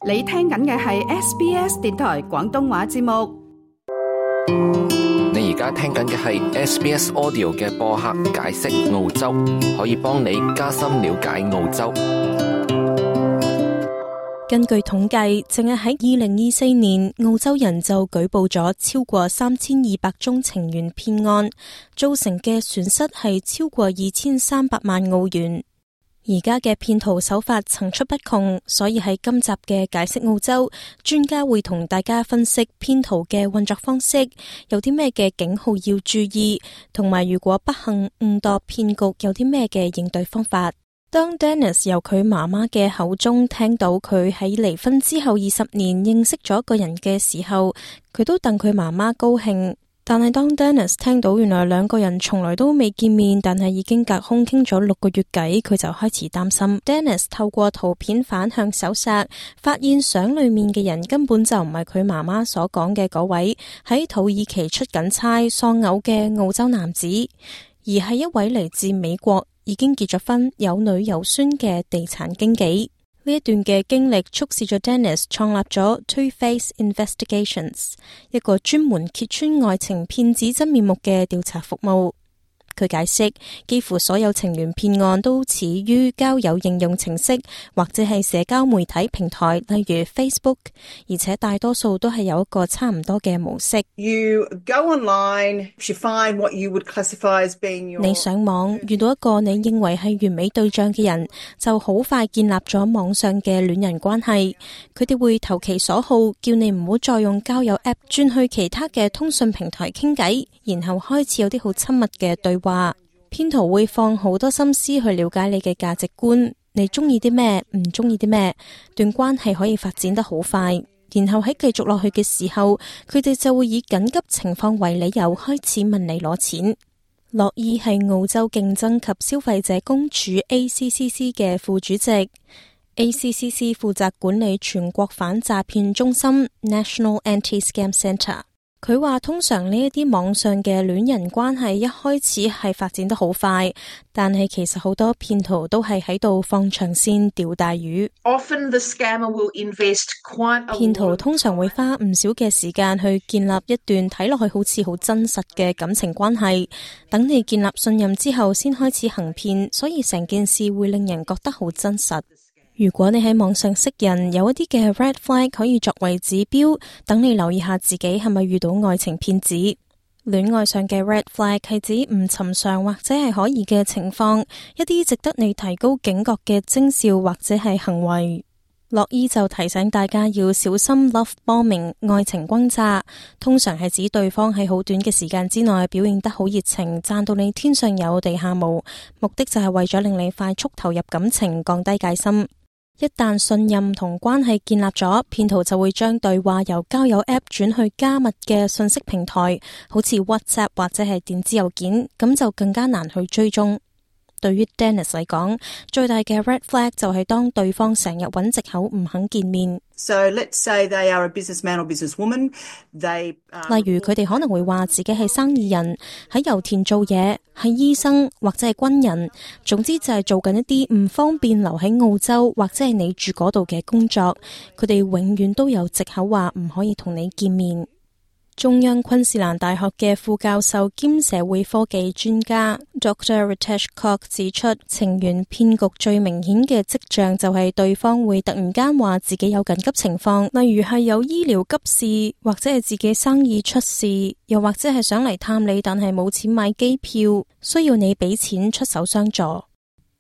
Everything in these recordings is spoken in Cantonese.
你聽緊嘅係 SBS 電台廣東話節目。你而家聽緊嘅係 SBS Audio 嘅播客解釋澳洲，可以幫你加深了解澳洲。根據統計，淨係喺2024年，澳洲人就舉報咗超過3200宗情緣騙案，造成嘅損失係超過2300萬澳元。而家嘅騙徒手法層出不窮，所以喺今集嘅解釋澳洲，專家會同大家分析騙徒嘅運作方式，有啲咩嘅警號要注意，同埋如果不幸誤墮騙局，有啲咩嘅應對方法。當 Dennis 由佢媽媽嘅口中聽到佢喺離婚之後20年認識咗一個人嘅時候，佢都戥佢媽媽高興。但係當 Dennis 聽到原來兩個人從來都未見面，但係已經隔空傾咗6個月偈，佢就開始擔心。Dennis 透過圖片反向搜索，發現相裏面嘅人根本就唔係佢媽媽所講嘅嗰位喺土耳其出緊差喪偶嘅澳洲男子，而係一位嚟自美國，已經結咗婚、有女有孫嘅地產經紀。呢一段嘅經歷促使咗 Dennis 創立咗 Two-Face Investigations， 一個專門揭穿愛情騙子真面目嘅調查服務。佢解釋，幾乎所有情緣騙案都始於交友應用程式或者係社交媒體平台，例如 Facebook， 而且大多數都係有一個差唔多嘅模式。You go online, you find what you would classify as being your... 你上網遇到一個你認為係完美對象嘅人，就好快建立咗網上嘅戀人關係。佢哋會投其所好，叫你唔好再用交友 App， 轉去其他嘅通訊平台傾偈，然後開始有啲好親密嘅對話。騙徒會放好多心思去了解你嘅價值觀，你中意啲咩，唔中意啲咩，段關係可以發展得好快。然後喺繼續落去嘅時候，佢哋就會以緊急情況為理由開始問你攞錢。樂伊係澳洲競爭及消費者公署 ACCC 嘅副主席。ACCC 負責管理全國反詐騙中心 National Anti-Scam Centre。佢話通常呢一啲網上嘅戀人關係一開始係發展得好快，但係其實好多騙徒都係喺度放長線釣大魚。Often the scammer will invest quite a lot. 騙徒通常會花唔少嘅時間去建立一段睇落去好似好真實嘅感情關係，等你建立信任之後先開始行騙，所以成件事會令人覺得好真實。如果你喺網上識人，有一啲嘅 red flag 可以作為指標，等你留意下自己係咪遇到愛情騙子。戀愛上嘅 red flag 係指唔尋常或者係可疑嘅情況，一啲值得你提高警覺嘅徵兆或者係行為。樂伊就提醒大家要小心 love bombing 愛情轟炸，通常係指對方喺好短嘅時間之內表現得好熱情，讚到你天上有地下無，目的就係為咗令你快速投入感情，降低戒心。一旦信任同關係建立咗，騙徒就會將對話由交友 App 轉去加密嘅信息平台，好似 WhatsApp 或者係電子郵件，咁就更加難去追蹤。對於 Dennis 嚟講，最大嘅 red flag 就係當對方成日揾藉口唔肯見面。So let's say they are a businessman or businesswoman. 例如佢哋可能會話自己係生意人，喺油田做嘢，係醫生或者係軍人，總之就係做緊一啲唔方便留喺澳洲或者係你住嗰度嘅工作。佢哋永遠都有藉口話唔可以同你見面。中央昆士蘭大學嘅副教授兼社會科技專家 Dr. Ritesh Kok 指出，情緣騙局最明顯嘅跡象就係對方會突然間話自己有緊急情況，例如係有醫療急事，或者係自己生意出事，又或者係想嚟探你，但係冇錢買機票，需要你俾錢出手相助。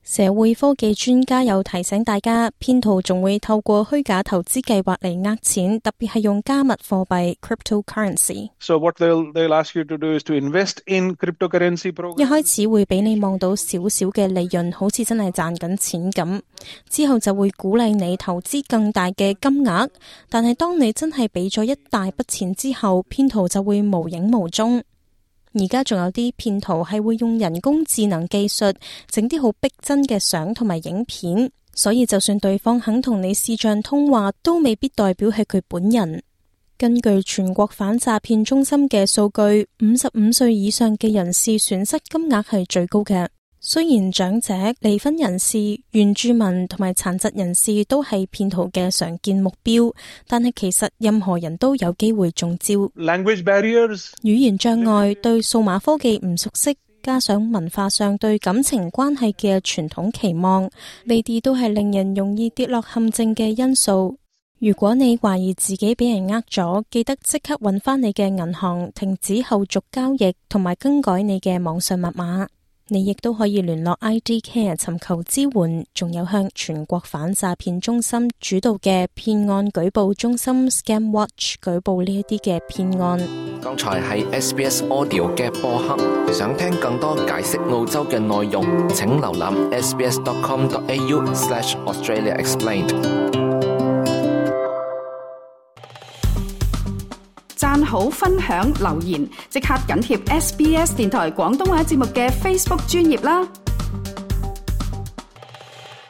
社會科技專家又提醒大家，騙徒仲會透過虛假投資計劃嚟呃錢，特別係用加密貨幣 cryptocurrency。So what they'll ask you to do is to invest in cryptocurrency program. 一開始會俾你望到少少嘅利潤，好似真係賺緊錢咁，之後就會鼓勵你投資更大嘅金額，但係當你真係俾咗一大筆錢之後，騙徒就會無影無蹤。而家仲有啲騙徒係會用人工智能技術整啲好逼真嘅相同埋影片，所以就算對方肯同你視像通話，都未必代表係佢本人。根據全國反詐騙中心嘅數據，55歲以上嘅人士損失金額係最高嘅。雖然長者、離婚人士、原住民同埋殘疾人士都係騙徒嘅常見目標，但係其實任何人都有機會中招。Language barriers, 語言障礙、對數碼科技唔熟悉，加上文化上對感情關係嘅傳統期望，呢啲都係令人容易跌落陷阱嘅因素。如果你懷疑自己俾人呃咗，記得即刻搵返你嘅銀行，停止後續交易同埋更改你嘅網上密碼。你亦都可以聯絡 IDCare 尋求支援，仲有向全國反詐騙中心主導嘅騙案舉報中心 Scam Watch 舉報呢一啲嘅騙案。剛才係 SBS Audio 嘅播客，想聽更多解釋澳洲嘅內容，請瀏覽 sbs.com.au/AustraliaExplained。讚好、分享、留言，即刻緊貼SBS 電台廣東話節目嘅 Facebook 專頁啦！